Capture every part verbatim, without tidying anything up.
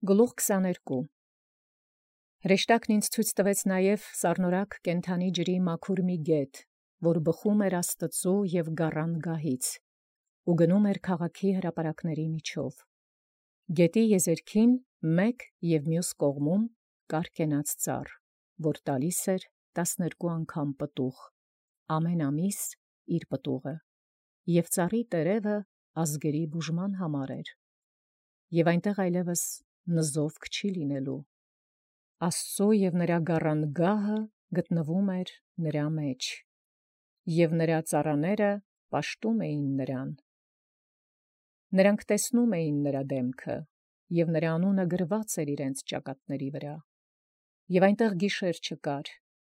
Գլուխ քսաներկու Հրեշտակն ինձ ցույց տվեց նաև սառնորակ կենդանի ջրի մաքուր մի գետ, որ բխում էր Աստծու և գառան գահից, ու գնում էր քաղաքի հրապարակների միջով. գետի եզերքին մեկ և մյուս կողմում կար կենաց ծառ, որ տալիս էր տասներկու անգամ պտուղ, ամեն ամիս իր պտուղը, և ծառի տերևը ազգերի բուժման համար էր, և այնտեղ այլևս նզովք չի լինելու. Աստծու և նրա գառան գահը գտնվում էր նրա մեջ, և նրա ծառաները պաշտում էին նրան. նրանք տեսնում էին նրա դեմքը, և նրա անունը գրված էր իրենց ճակատների վրա, և այնտեղ գիշեր չկար,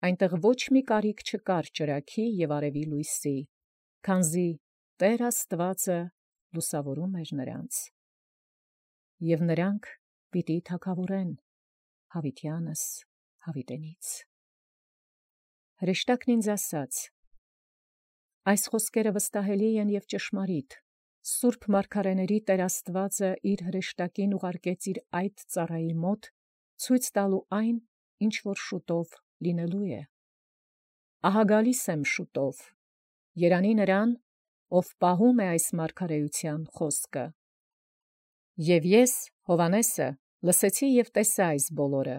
այնտեղ ոչ մի կարիք չկար ճրագի և արևի լույսի, քանզի Տէր Աստուածը լուսավորում էր նրանց, և նրանք պիտի թագաւորեն յաւիտեանս յաւիտենից։ Հրեշտակն ինձ ասաց. այս խոսքերը վստահելի են և ճշմարիտ. Սուրբ մարգարեների Տէր Աստուածը իր հրեշտակին ուղարկեց իր այդ ծառայի մոտ, ցույց տալու այն, ինչ որ շուտով լինելու է. ահա գալիս եմ շուտով, երանի նրան, ով պահում է այս մարգարեութեան խոսքը։ Եւ ես, Հովհաննեսը, լսեցի և տեսա այս բոլորը,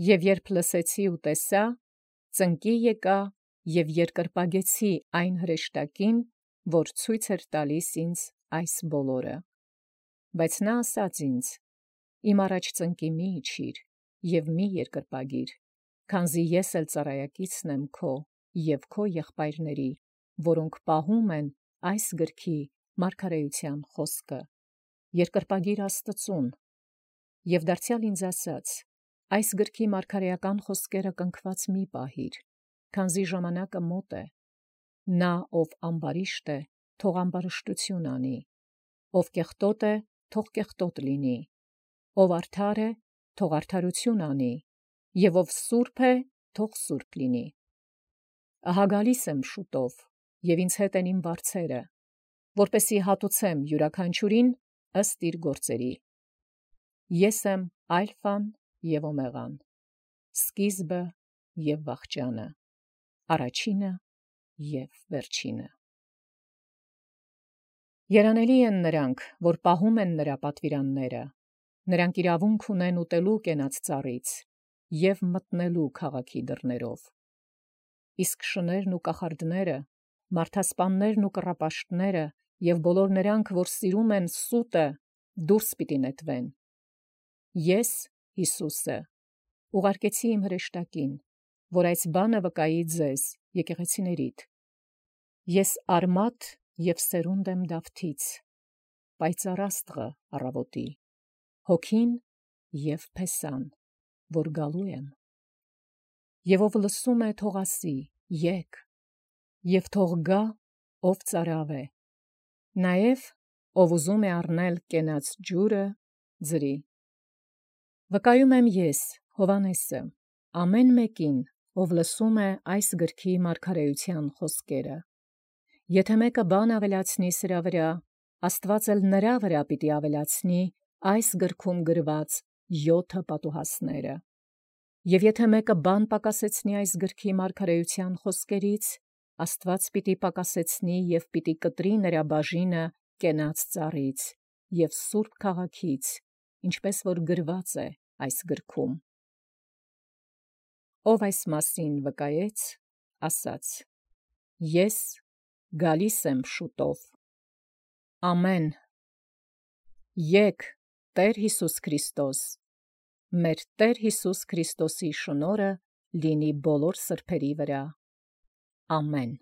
և երբ լսեցի ու տեսա, ծնկի եկա և երկրպագեցի այն հրեշտակին, որ ցույց էր տալիս ինձ այս բոլորը։ Բայց նա ասաց ինձ. իմ առաջ ծնկի մի իջիր և մի երկրպագիր, քանզի ես էլ ծառայակիցն եմ քո և քո եղբայրների, որոնք պահում են այս գրքի մարգարեութեան խոսքը, երկրպագիր Աստծուն։ Եւ դարձեալ ինձ ասաց. այս գրքի մարգարեական խոսքերը կնքված մի պահիր, քանզի ժամանակը մոտ է. նա ով ամբարիշտ է, թող ամբարշտություն անի, ով կեղտոտ է, թող կեղտոտ լինի, ով արդար է, թող արդարություն անի, և ով սուրբ է, թող սուրբ լինի։ Ահա գալիս եմ շուտով, և ինձ հետ են իմ վարձերը, որպեսզի հատուցեմ յուրաքանչյուրին ըստ իր գործերի։ Ես եմ Ալֆան և Օմեղան, սկիզբը և վախճանը, առաջինը և վերջինը։ Երանելի են նրանք, որ պահում են նրա պատվիրանները, նրանք իրավունք ունեն ուտելու կենաց ծառից և մտնելու քաղաքի դռներով։ Իսկ շներն ու կախարդները, մարդասպաններն ու կռապաշտները և բոլոր նրանք, որ սիրում են սուտը, դուրս պիտի նետվեն։ Ես, Յիսուսը, ուղարկեցի իմ հրեշտակին, որ այս բանը վկայի ձեզ, եկեղեցիներիդ։ Ես Արմատ և սերունդ եմ Դավթից, պայծառ աստղը առավոտի, Հոգին և Փեսան, որ գալու եմ։ Եվ ով լսում է, թող ասի. եկ, և թող գա, ով ծարավ է, նաև ով ուզում է առնել կենաց ջուրը, ձրի։ Վկայում եմ ես, Հովհաննեսը, ամեն մեկին, ով լսում է այս գրքի մարգարեութեան խոսքերը. եթե մեկը բան ավելացնի սրա վրա, Աստուած էլ նրա վրա պիտի ավելացնի այս գրքում գրված յոթը պատուհասները. և եթե մեկը բան պակասեցնի այս գրքի մարգարեութեան խոսքերից, Աստուած պիտի պակասեցնի և պիտի կտրի նրա բաժինը կենաց ծառից և սուրբ քաղաքից, ինչպես որ գրված է այս գրքում։ Ով այս մասին վկայեց, ասաց. ես գալիս եմ շուտով։ Ամեն։ Եկ Տէր Յիսուս Քրիստոս, մեր Տէր Յիսուս Քրիստոսի շնորհը լինի բոլոր սրբերի վրա։ Ամեն։